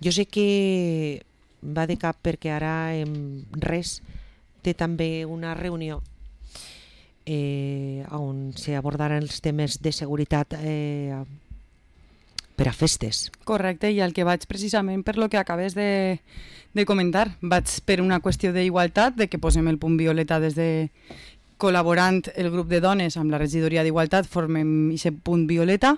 Jo sé que va de cap perquè ara res té també una reunió on s'abordaran els temes de seguretat per a festes. Correcte, i el que vaig precisament per lo que acabes de comentar, vaig per una qüestió d'igualtat, de que posem el punt violeta des de col·laborant el grup de dones amb la regidoria d'igualtat, formem aquest punt violeta,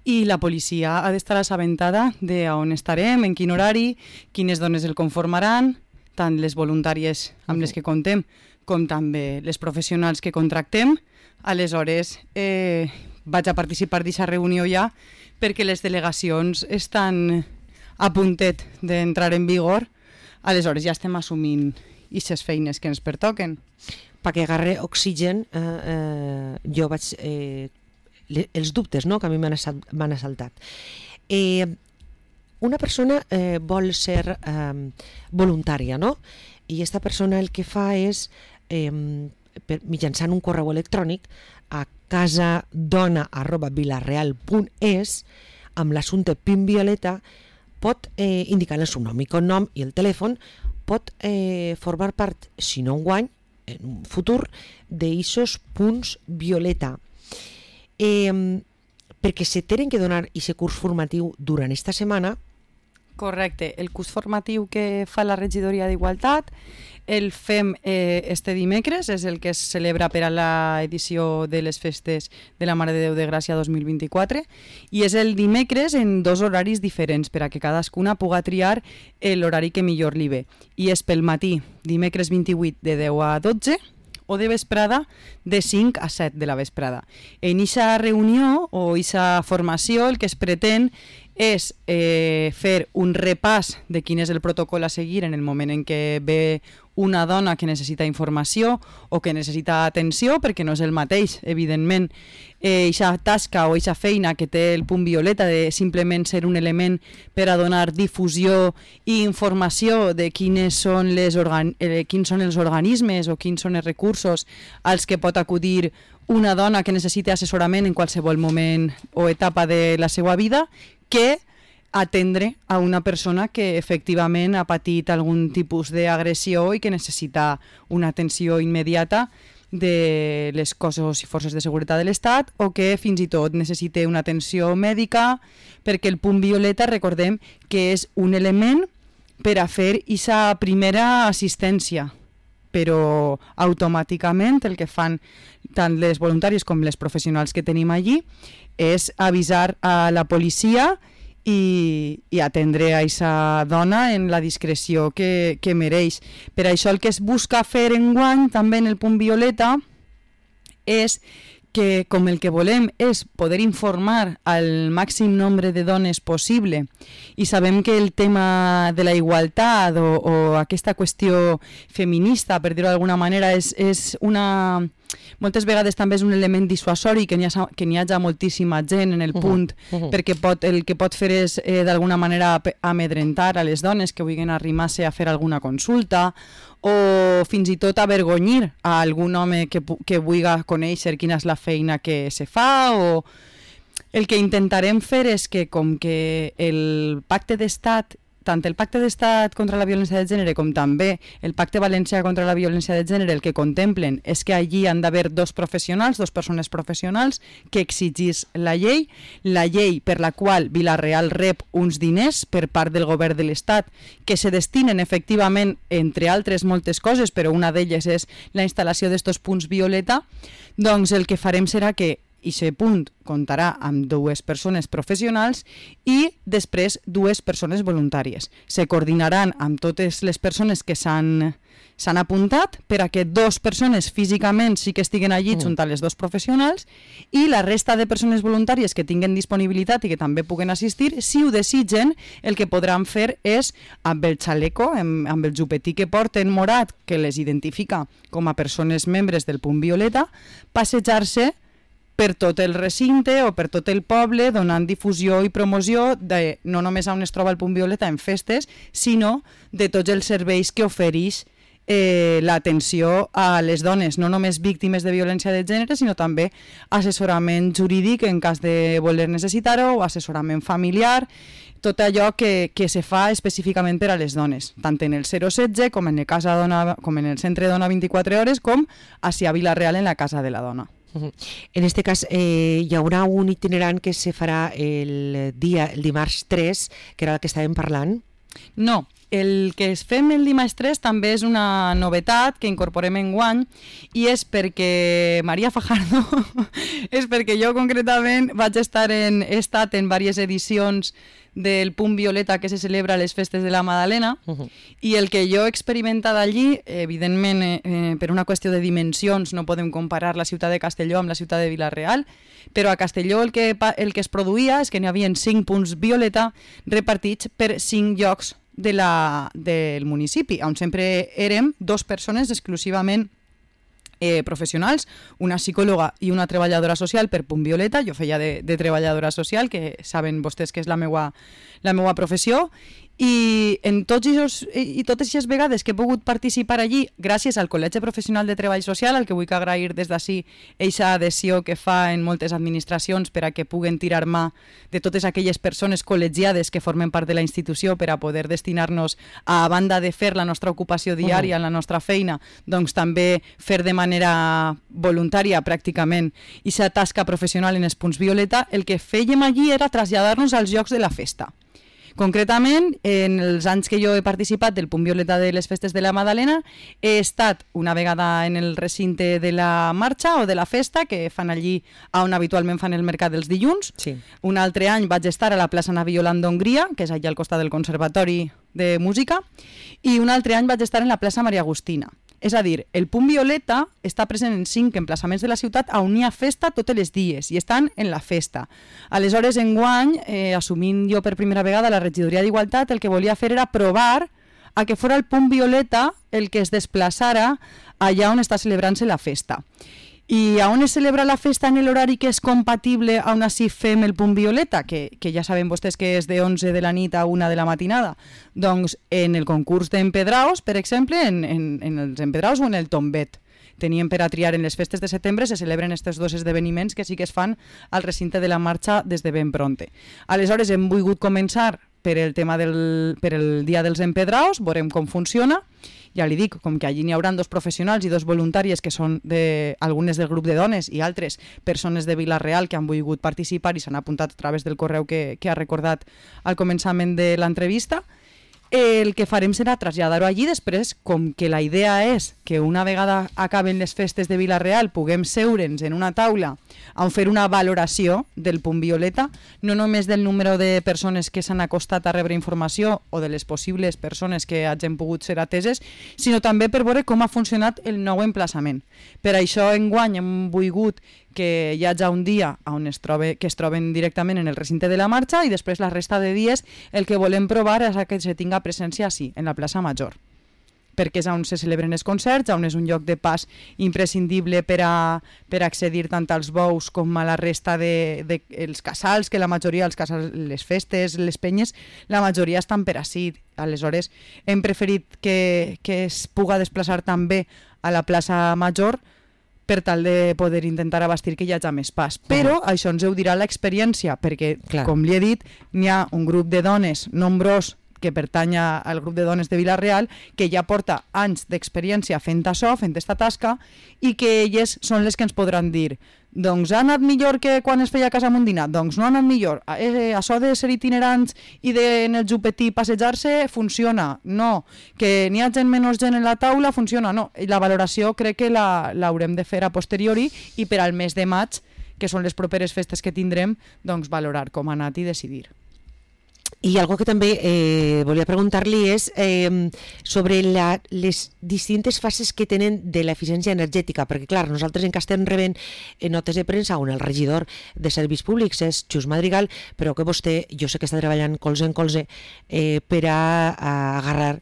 i la policia ha d'estar assabentada d'on estarem, en quin horari, quines dones el conformaran, tant les voluntàries amb les que contem com també les professionals que contractem. Aleshores, vaig a participar d'aquesta reunió ja perquè les delegacions estan a puntet d'entrar en vigor. Aleshores ja estem assumint aquestes feines que ens pertoquen. Perquè agarre oxigen, jo vaig... els dubtes, no?, que a mi m'han assaltat. Una persona vol ser voluntària, no? I aquesta persona el que fa és, mitjançant un correu electrònic, a casadona@vilareal.es, amb l'assumpte PIN Violeta, pot indicar el seu nom i cognom i el telèfon, pot formar part, si no enguany, en un futur, d'eixos punts Violeta. Perquè se tenen que donar aquest curs formatiu durant aquesta setmana. Correcte, el curs formatiu que fa la regidoria d'Igualtat el fem este dimecres, és el que es celebra per a l'edició de les festes de la Mare de Déu de Gràcia 2024, i és el dimecres en 2 horaris diferents per a que cadascuna puga triar l'horari que millor li ve. I és pel matí, dimecres 28 de 10 a 12, o de vesprada de 5 a 7 de la vesprada. En aquesta reunió o aquesta formació el que es pretén és fer un repàs de quin és el protocol a seguir en el moment en què ve una dona que necessita informació o que necessita atenció, perquè no és el mateix, evidentment, aquesta tasca o aquesta feina que té el punt violeta de simplement ser un element per a donar difusió i informació de quins són els organismes o quins són els recursos als que pot acudir una dona que necessita assessorament en qualsevol moment o etapa de la seva vida, que atendre a una persona que efectivament ha patit algun tipus d'agressió i que necessita una atenció immediata de les cossos i forces de seguretat de l'Estat, o que fins i tot necessite una atenció mèdica, perquè el punt violeta, recordem que és un element per a fer aquesta primera assistència, però automàticament el que fan tant les voluntàries com les professionals que tenim allí és avisar a la policia i atendre a aquesta dona en la discreció que mereix. Per això el que es busca fer enguany també en el punt violeta és que, com el que volem és poder informar al màxim nombre de dones possible, i sabem que el tema de la igualtat o aquesta qüestió feminista, per dir-ho d'alguna manera, és una... moltes vegades també és un element dissuasori, que n'hi hagi moltíssima gent en el punt, perquè el que pot fer és d'alguna manera amedrentar a les dones que vulguin arrimar-se a fer alguna consulta, o fins i tot avergonyir a algun home que vulgui conèixer quina és la feina que se fa. O el que intentarem fer és que, com que el pacte d'estat, tant el pacte d'estat contra la violència de gènere com també el pacte valencià contra la violència de gènere, el que contemplen és que allí han d'haver dos persones professionals que exigís la llei per la qual Vila-real rep uns diners per part del govern de l'Estat que se destinen efectivament, entre altres moltes coses, però una d'elles és la instal·lació d'estos punts violeta. Doncs el que farem serà que aquest punt comptarà amb 2 persones professionals i després 2 persones voluntàries. Se coordinaran amb totes les persones que s'han apuntat per a que 2 persones físicament sí que estiguen allí junt a les 2 professionals, i la resta de persones voluntàries que tinguen disponibilitat i que també puguen assistir, si ho desitgen, el que podran fer és, amb el xaleco, amb el jupetí que porten morat, que les identifica com a persones membres del punt violeta, passejar-se per tot el recinte o per tot el poble, donant difusió i promoció de no només on es troba el punt violeta en festes, sinó de tots els serveis que ofereix l'atenció a les dones, no només víctimes de violència de gènere, sinó també assessorament jurídic en cas de voler necessitar-ho, o assessorament familiar, tot allò que se fa específicament per a les dones, tant en el 016 com en el Casa Dona, com en el Centre Dona 24 Hores, com a Vila-real en la Casa de la Dona. En este cas hi haurà un itinerant que se farà el dimarts 3, que era el que estàvem parlant. No, el que fem el dimarts 3 també és una novetat que incorporem enguany i és perquè Maria Fajardo, és perquè jo concretament he estat en diverses edicions del Punt Violeta que se celebra a les festes de la Madalena i el que jo he experimentat allí, evidentment per una qüestió de dimensions no podem comparar la ciutat de Castelló amb la ciutat de Vila-real, però a Castelló el que es produïa és que n'hi havia 5 punts Violeta repartits per 5 llocs del municipi, on sempre érem 2 persones exclusivament professionals, una psicòloga i una treballadora social per Punt Violeta. Jo feia de treballadora social, que saben vostès que és la meua professió, i en totes aquestes vegades que he pogut participar allí, gràcies al Col·legi Professional de Treball Social, al que vull agrair des d'ací eixa adhesió que fa en moltes administracions per a que puguen tirar mà de totes aquelles persones col·legiades que formen part de la institució per a poder destinar-nos, a banda de fer la nostra ocupació diària, la nostra feina, doncs també fer de manera voluntària pràcticament aquesta tasca professional en els punts Violeta. El que fèiem allí era traslladar-nos als llocs de la festa. Concretament, en els anys que jo he participat del Punt Violeta de les festes de la Madalena, he estat una vegada en el recinte de la marxa o de la festa, que fan allí on habitualment fan el mercat dels dilluns. Sí. Un altre any vaig estar a la plaça Ana Violant d'Hongria, que és allà al costat del Conservatori de Música, i un altre any vaig estar en la plaça Maria Agustina. És a dir, el Punt Violeta està present en 5 emplaçaments de la ciutat on hi ha festa tots els dies i estan en la festa. Aleshores, enguany, assumint jo per primera vegada la regidoria d'Igualtat, el que volia fer era provar a que fora el Punt Violeta el que es desplaçara allà on està celebrant-se la festa. I on es celebra la festa en l'horari que és compatible on així fem el Punt Violeta, que ja saben vostès que és de 11 de la nit a 1 de la matinada? Doncs en el concurs d'empedraus, per exemple, en els empedraus o en el tombet. Teníem per a triar en les festes de setembre, se celebren aquests 2 esdeveniments que sí que es fan al recinte de la marxa des de ben pronte. Aleshores hem volgut començar per el tema per el dia dels empedraus, veurem com funciona. Ja li dic, com que allí n'hi haurà 2 professionals i 2 voluntàries que són algunes del grup de dones i altres persones de Vila-real que han volgut participar i s'han apuntat a través del correu que ha recordat al començament de l'entrevista, el que farem serà traslladar-ho allí. Després, com que la idea és que una vegada acaben les festes de Vila-real puguem seure'ns en una taula on fer una valoració del Punt Violeta, no només del número de persones que s'han acostat a rebre informació o de les possibles persones que hagin pogut ser ateses, sinó també per veure com ha funcionat el nou emplaçament. Per això enguany hem volgut que hi hagi un dia on que es troben directament en el recinte de la marxa i després la resta de dies el que volem provar és que se tinga presència així, en la plaça Major, perquè és on se celebren els concerts, on és un lloc de pas imprescindible per accedir tant als bous com a la resta dels casals, que la majoria dels casals, les festes, les penyes, la majoria estan per ací. Aleshores hem preferit que es puga desplaçar també a la plaça Major per tal de poder intentar abastir que hi hagi més pas. Però això ens ho dirà l'experiència, perquè, com li he dit, n'hi ha un grup de dones nombrós que pertany al grup de dones de Vila-real, que ja porta anys d'experiència fent això, fent aquesta tasca, i que elles són les que ens podran dir doncs ha anat millor que quan es feia a Casa Mundina, doncs no ha anat millor. Això de ser itinerants i en el jupetí passejar-se funciona, no. Que n'hi ha menys gent en la taula funciona, no. I la valoració crec que l'haurem de fer a posteriori i per al mes de maig, que són les properes festes que tindrem, doncs valorar com ha anat i decidir. I algo que també volia preguntar-li és sobre les distintes fases que tenen de l'eficiència energètica, perquè clar, nosaltres en què estem rebent notes de premsa on el regidor de Serveis Públics és Xus Madrigal, però que vostè, jo sé que està treballant colze en colze per a agarrar,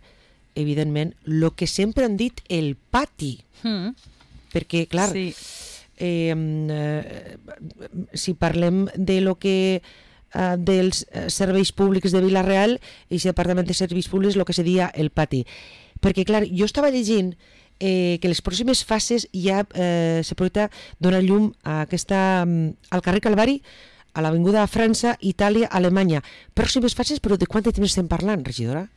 evidentment, el que sempre han dit el pati. Perquè, clar, sí. Si parlem de lo que dels serveis públics de Vila-real i el Departament de Serveis Públics el que seria el pati, perquè clar, jo estava llegint que les pròximes fases ja se projecta donar llum a al carrer Calvari a l'Avinguda de França, Itàlia, Alemanya. Pròximes fases, però de quant de temps estem parlant, regidora?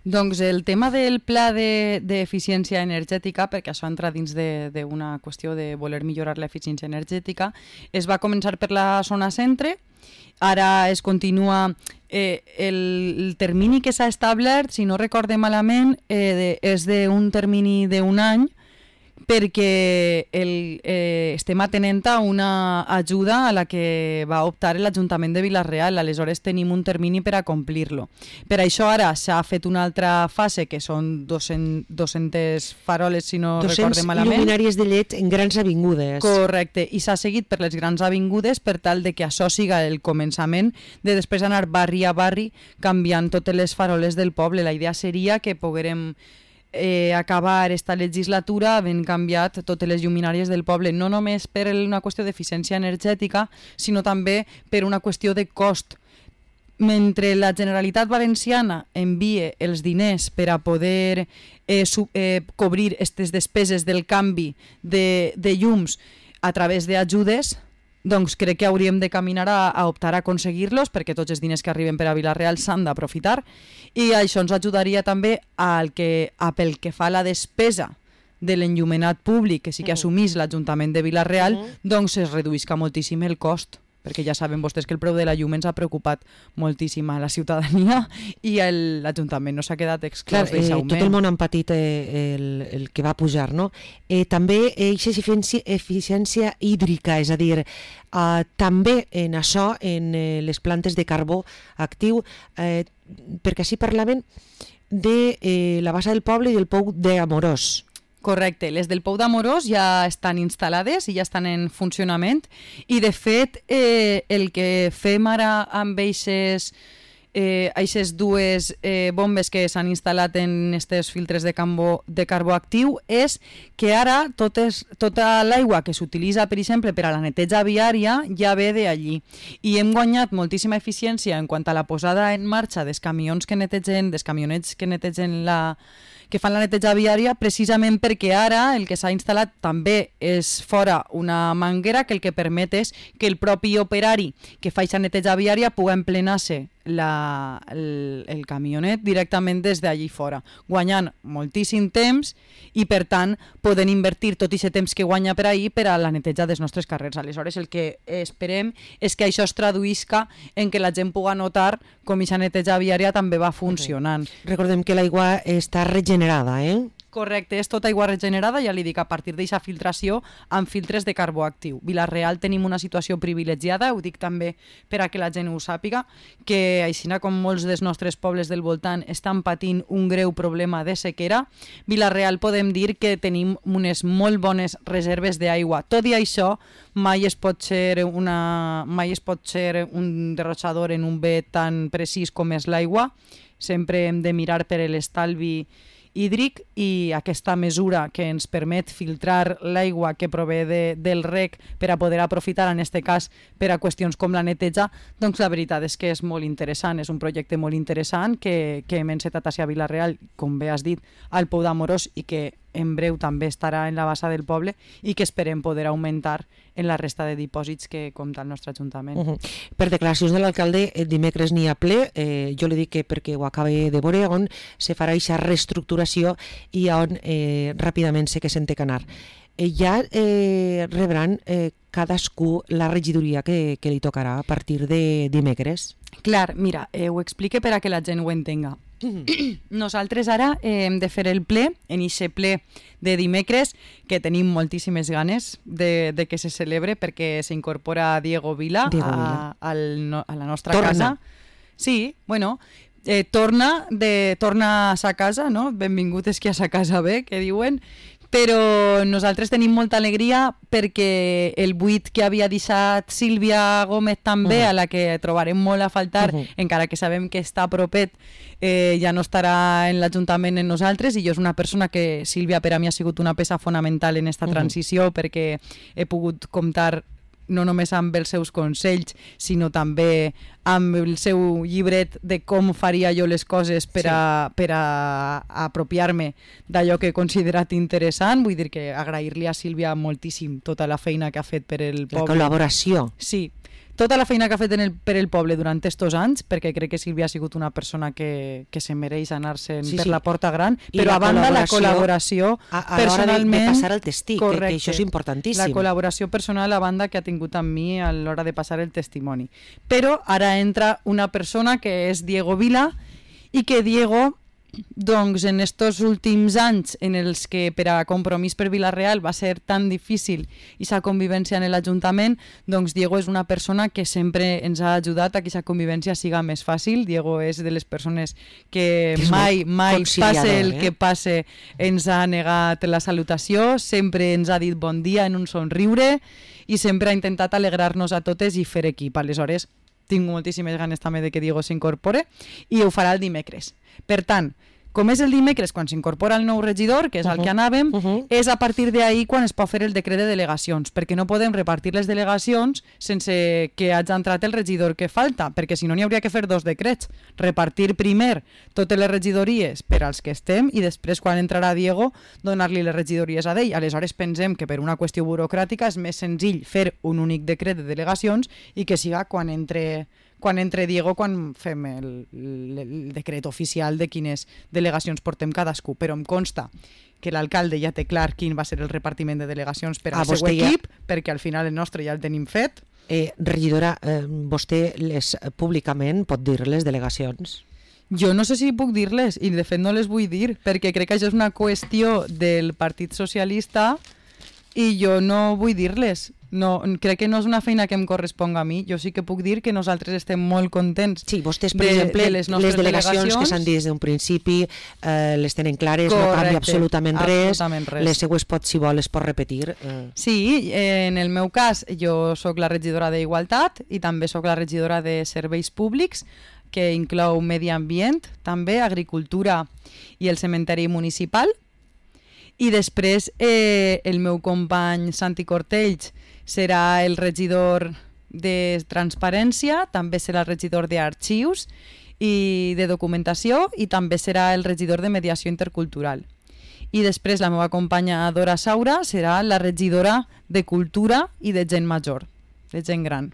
Doncs el tema del pla d'eficiència energètica, perquè això entra dins d'una qüestió de voler millorar l'eficiència energètica, es va començar per la zona centre, ara es continua el termini que s'ha establert, si no recorde malament, és d'un termini d'un any, perquè estem atenent a una ajuda a la que va optar l'Ajuntament de Vila-real, aleshores tenim un termini per a complir-lo. Per això ara s'ha fet una altra fase, que són 200 faroles, si no recorde malament. 200 lluminàries de LED en grans avingudes. Correcte, i s'ha seguit per les grans avingudes per tal de que això siga el començament de després anar barri a barri canviant totes les faroles del poble. La idea seria que poguérem acabar esta legislatura havent canviat totes les lluminàries del poble, no només per una qüestió d'eficiència energètica, sinó també per una qüestió de cost. Mentre la Generalitat Valenciana envie els diners per a poder cobrir aquestes despeses del canvi de llums a través d'ajudes, doncs crec que hauríem de caminar a optar a aconseguir-los, perquè tots els diners que arriben per a Vila-real s'han d'aprofitar, i això ens ajudaria també pel que fa a la despesa de l'enllumenat públic, que sí que assumís l'Ajuntament de Vila-real, doncs es reduïsca moltíssim el cost, perquè ja saben vostès que el preu de la llum ens ha preocupat moltíssim a la ciutadania i l'Ajuntament no s'ha quedat exclòs d'aquest augment. Tot el món ha patit el que va pujar, no? També aquesta eficiència hídrica, és a dir, també en això, en les plantes de carbó actiu, perquè així parlaven de la bassa del poble i del pou d'Amorós. Correcte, les del Pou d'Amorós ja estan instal·lades i ja estan en funcionament i de fet el que fem ara amb aquestes dues bombes que s'han instal·lat en aquests filtres de carbó actiu és que ara tota l'aigua que s'utilitza, per exemple, per a la neteja viària ja ve d'allí i hem guanyat moltíssima eficiència en quant a la posada en marxa dels camionets que netegen que fan la neteja viària, precisament perquè ara el que s'ha instal·lat també és fora una manguera que el que permet és que el propi operari que fa aquesta neteja viària pugui emplenar-se el camionet directament des d'allí fora, guanyant moltíssim temps i per tant poden invertir tot aquest temps que guanya per ahir per a la neteja dels nostres carrers. Aleshores el que esperem és que això es traduïsca en que la gent pugui notar com aquesta neteja viària també va funcionant. Recordem que l'aigua està regenerada, Correcte, és tota aigua regenerada, ja li dic, a partir d'aquesta filtració amb filtres de carbó actiu. Vila-real tenim una situació privilegiada, ho dic també per a que la gent ho sàpiga, que així com molts dels nostres pobles del voltant estan patint un greu problema de sequera, Vila-real podem dir que tenim unes molt bones reserves d'aigua. Tot i això, mai es pot ser un derrotxador en un bé tan precís com és l'aigua. Sempre hem de mirar per l'estalvi hídric i aquesta mesura que ens permet filtrar l'aigua que prové del rec per a poder aprofitar, en aquest cas, per a qüestions com la neteja, doncs la veritat és que és molt interessant, és un projecte molt interessant que hem encetat a Vila-real, com bé has dit, al Pou d'Amorós i que en breu també estarà en la bassa del poble i que esperem poder augmentar en la resta de dipòsits que compta el nostre Ajuntament. Per declaracions de l'alcalde, dimecres n'hi ha ple, jo li dic que perquè ho acabe de veure, on se farà aquesta reestructuració i on ràpidament sé que se'n té que anar. Ja rebran cadascú la regidoria que li tocarà a partir de dimecres? Clar, mira, ho explique per a que la gent ho entenga. Nosaltres ara hem de fer el ple, en aquest ple de dimecres, que tenim moltíssimes ganes de que se celebre perquè s'incorpora Diego Vila a la nostra casa. Sí, bueno, torna a sa casa, no? Benvingut és que a sa casa ve, que diuen, però nosaltres tenim molta alegria perquè el buit que havia deixat Sílvia Gómez també, a la que trobarem molt a faltar, encara que sabem que està propet, ja no estarà en l'Ajuntament en nosaltres, i jo és una persona que, Sílvia, per a mi ha sigut una peça fonamental en aquesta transició, perquè he pogut comptar no només amb els seus consells, sinó també amb el seu llibret de com faria jo les coses per a apropiar-me d'allò que he considerat interessant. Vull dir que agrair-li a Sílvia moltíssim tota la feina que ha fet per el poble. La col·laboració. Sí. tota la feina que ha fet per el poble durant estos anys, perquè crec que Sílvia ha sigut una persona que se mereix anar-se'n per la porta gran, però a banda la col·laboració de personalment... passar el testí, que això és importantíssim. La col·laboració personal a banda que ha tingut amb mi a l'hora de passar el testimoni. Però ara entra una persona que és Diego Vila i que Diego... doncs en estos últims anys en els que per a Compromís per Vila-real va ser tan difícil aquesta convivència en l'Ajuntament, doncs Diego és una persona que sempre ens ha ajudat a que aquesta convivència siga més fàcil. Diego és de les persones que mai passe el que passe ens ha negat la salutació, sempre ens ha dit bon dia en un somriure i sempre ha intentat alegrar-nos a totes i fer equip. Aleshores, tinc moltíssimes ganes també de que Diego s'incorpore i ho farà el dimecres. Per tant, com és el dimecres quan s'incorpora el nou regidor, que és al que anàvem, és a partir d'ahir quan es pot fer el decret de delegacions, perquè no podem repartir les delegacions sense que hagi entrat el regidor que falta, perquè si no n'hi hauria que fer 2 decrets. Repartir primer totes les regidories per als que estem i després, quan entrarà Diego, donar-li les regidories a ell. Aleshores pensem que per una qüestió burocràtica és més senzill fer un únic decret de delegacions i que siga quan entre Diego, quan fem el decret oficial de quines delegacions portem cadascú, però em consta que l'alcalde ja té clar quin va ser el repartiment de delegacions per al seu equip, perquè al final el nostre ja el tenim fet. Regidora, vostè públicament pot dir les delegacions? Jo no sé si puc dir-les, i de fet no les vull dir, perquè crec que això és una qüestió del Partit Socialista i jo no vull dir-les. No, crec que no és una feina que em corresponga a mi. Jo sí que puc dir que nosaltres estem molt contents. Sí, vostès, per exemple, les delegacions que s'han dit des d'un principi les tenen clares, no canvia absolutament res. Les seues si vol les pot repetir. Sí, en el meu cas jo sóc la regidora d'Igualtat i també sóc la regidora de Serveis Públics, que inclou medi ambient, també agricultura i el cementeri municipal. I després el meu company Santi Cortells serà el regidor de Transparència, també serà el regidor d'Arxius i de Documentació i també serà el regidor de Mediació Intercultural. I després la meva companya Dora Saura serà la regidora de Cultura i de Gent Major, de gent gran.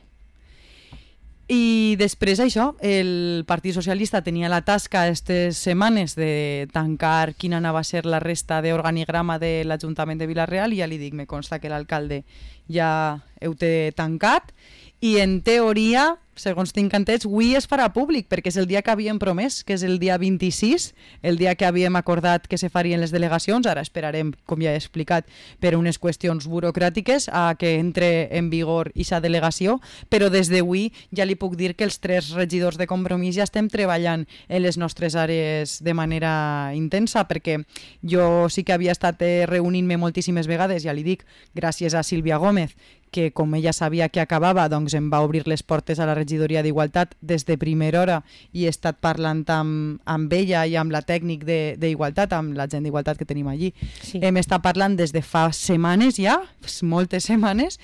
I després això, el Partit Socialista tenia la tasca aquestes setmanes de tancar quina anava a ser la resta d'organigrama de l'Ajuntament de Vila-real i ja li dic, me consta que l'alcalde ja ho té tancat i en teoria, segons tinc entès, avui es farà públic perquè és el dia que havíem promès, que és el dia 26, el dia que havíem acordat que se farien les delegacions. Ara esperarem, com ja he explicat, per unes qüestions burocràtiques a que entre en vigor aquesta delegació, però des d'avui ja li puc dir que els 3 regidors de Compromís ja estem treballant en les nostres àrees de manera intensa, perquè jo sí que havia estat reunint-me moltíssimes vegades, ja li dic, gràcies a Sílvia Gómez, que com ella sabia que acabava, doncs em va obrir les portes a la regidoria d'Igualtat des de primera hora i he estat parlant amb ella i amb la tècnic d'Igualtat, amb la gent d'Igualtat que tenim allí. Sí. Hem estat parlant des de fa setmanes ja, moltes setmanes,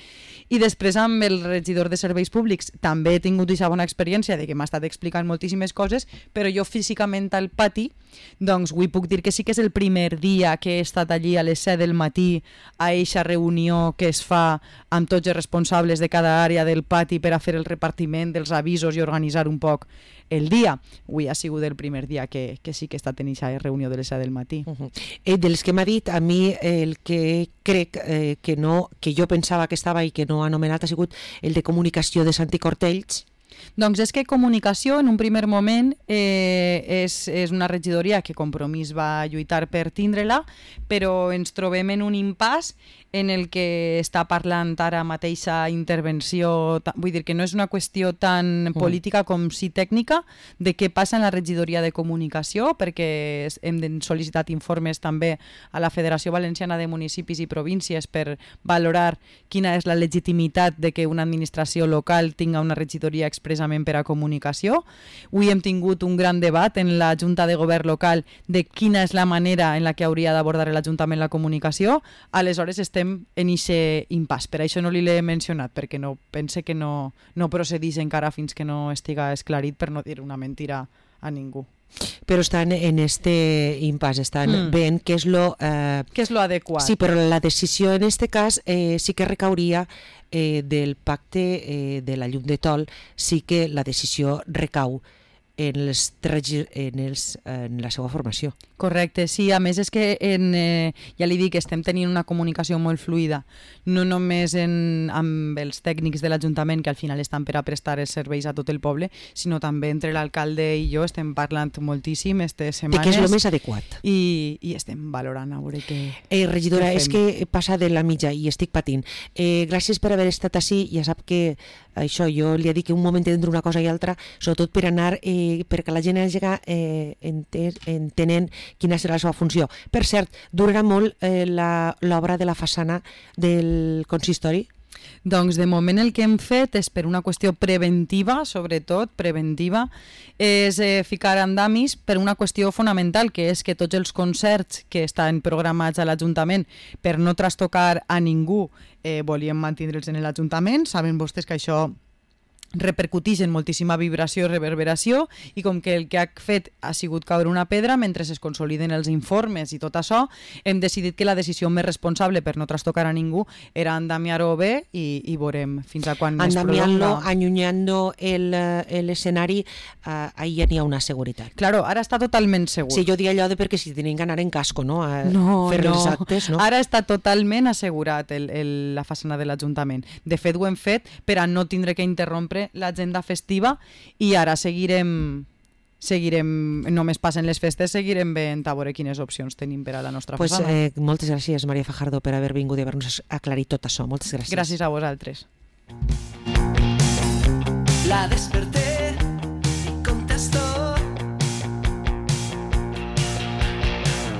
i després amb el regidor de Serveis Públics també he tingut aquesta bona experiència de que m'ha estat explicant moltíssimes coses, però jo físicament al pati, doncs avui puc dir que sí que és el primer dia que he estat allí a les 7 del matí a eixa reunió que es fa amb tots els responsables de cada àrea del pati per a fer el repartiment dels avisos i organitzar un poc el dia. Avui ha sigut el primer dia que sí que he estat en aquesta reunió de les 7 del matí. Dels que m'ha dit, a mi el que crec que jo pensava que estava i que no ha anomenat ha sigut el de comunicació de Santi Cortells. Doncs és que comunicació en un primer moment és una regidoria que Compromís va lluitar per tindre-la, però ens trobem en un impàs en el que està parlant ara mateixa intervenció, vull dir que no és una qüestió tan política com sí tècnica de què passa en la regidoria de comunicació, perquè hem sol·licitat informes també a la Federació Valenciana de Municipis i Províncies per valorar quina és la legitimitat de que una administració local tinga una regidoria expressament per a comunicació. Avui hem tingut un gran debat en la Junta de Govern local de quina és la manera en la que hauria d'abordar l'Ajuntament la comunicació. Aleshores estem en aquest impàs. Per això no l'he mencionat, perquè no pense que no procedís encara fins que no estiga esclarit, per no dir una mentira a ningú. Però estan en este impasse, estan veient què és lo... Què és lo adequat. Sí, però la decisió en este cas sí que recauria del pacte de la llum de Tol, sí que la decisió recau en la seva formació. Correcte, sí, a més és que ja li dic, estem tenint una comunicació molt fluida, no només amb els tècnics de l'Ajuntament que al final estan per a prestar els serveis a tot el poble, sinó també entre l'alcalde i jo estem parlant moltíssim aquestes setmanes. De què és el més adequat. I estem valorant a veure què... Regidora, és que passa de la mitja i estic patint. Gràcies per haver estat així, ja sap que això, jo li he dit que un moment entre una cosa i altra, sobretot per anar, perquè la gent hagi entenent quina serà la seva funció. Per cert, durarà molt l'obra de la façana del consistori? Doncs de moment el que hem fet és per una qüestió preventiva, sobretot preventiva, és ficar andamis per una qüestió fonamental, que és que tots els concerts que estan programats a l'Ajuntament per no trastocar a ningú volíem mantindre'ls en l'Ajuntament. Saben vostès que això repercuteix en moltíssima vibració i reverberació, i com que el que ha fet ha sigut caure una pedra mentre es consoliden els informes i tot això, hem decidit que la decisió més responsable per no trastocar a ningú era endamiar-ho bé i veurem fins a quan es prolonga. Allunyant-lo l'escenari, ahí ja n'hi ha una seguretat. Claro, ara està totalment segur. Sí, jo dic allò de perquè si tenen que anar en casco, no? Fer els actes, no? Ara està totalment assegurat la façana de l'Ajuntament. De fet, ho hem fet per a no tindre que interrompre l'agenda festiva, i ara seguirem, només passen les festes, seguirem veient a veure quines opcions tenim per a la nostra façana. Moltes gràcies, Maria Fajardo, per haver vingut i haver-nos aclarit tot això. Moltes gràcies. Gràcies a vosaltres. La desperté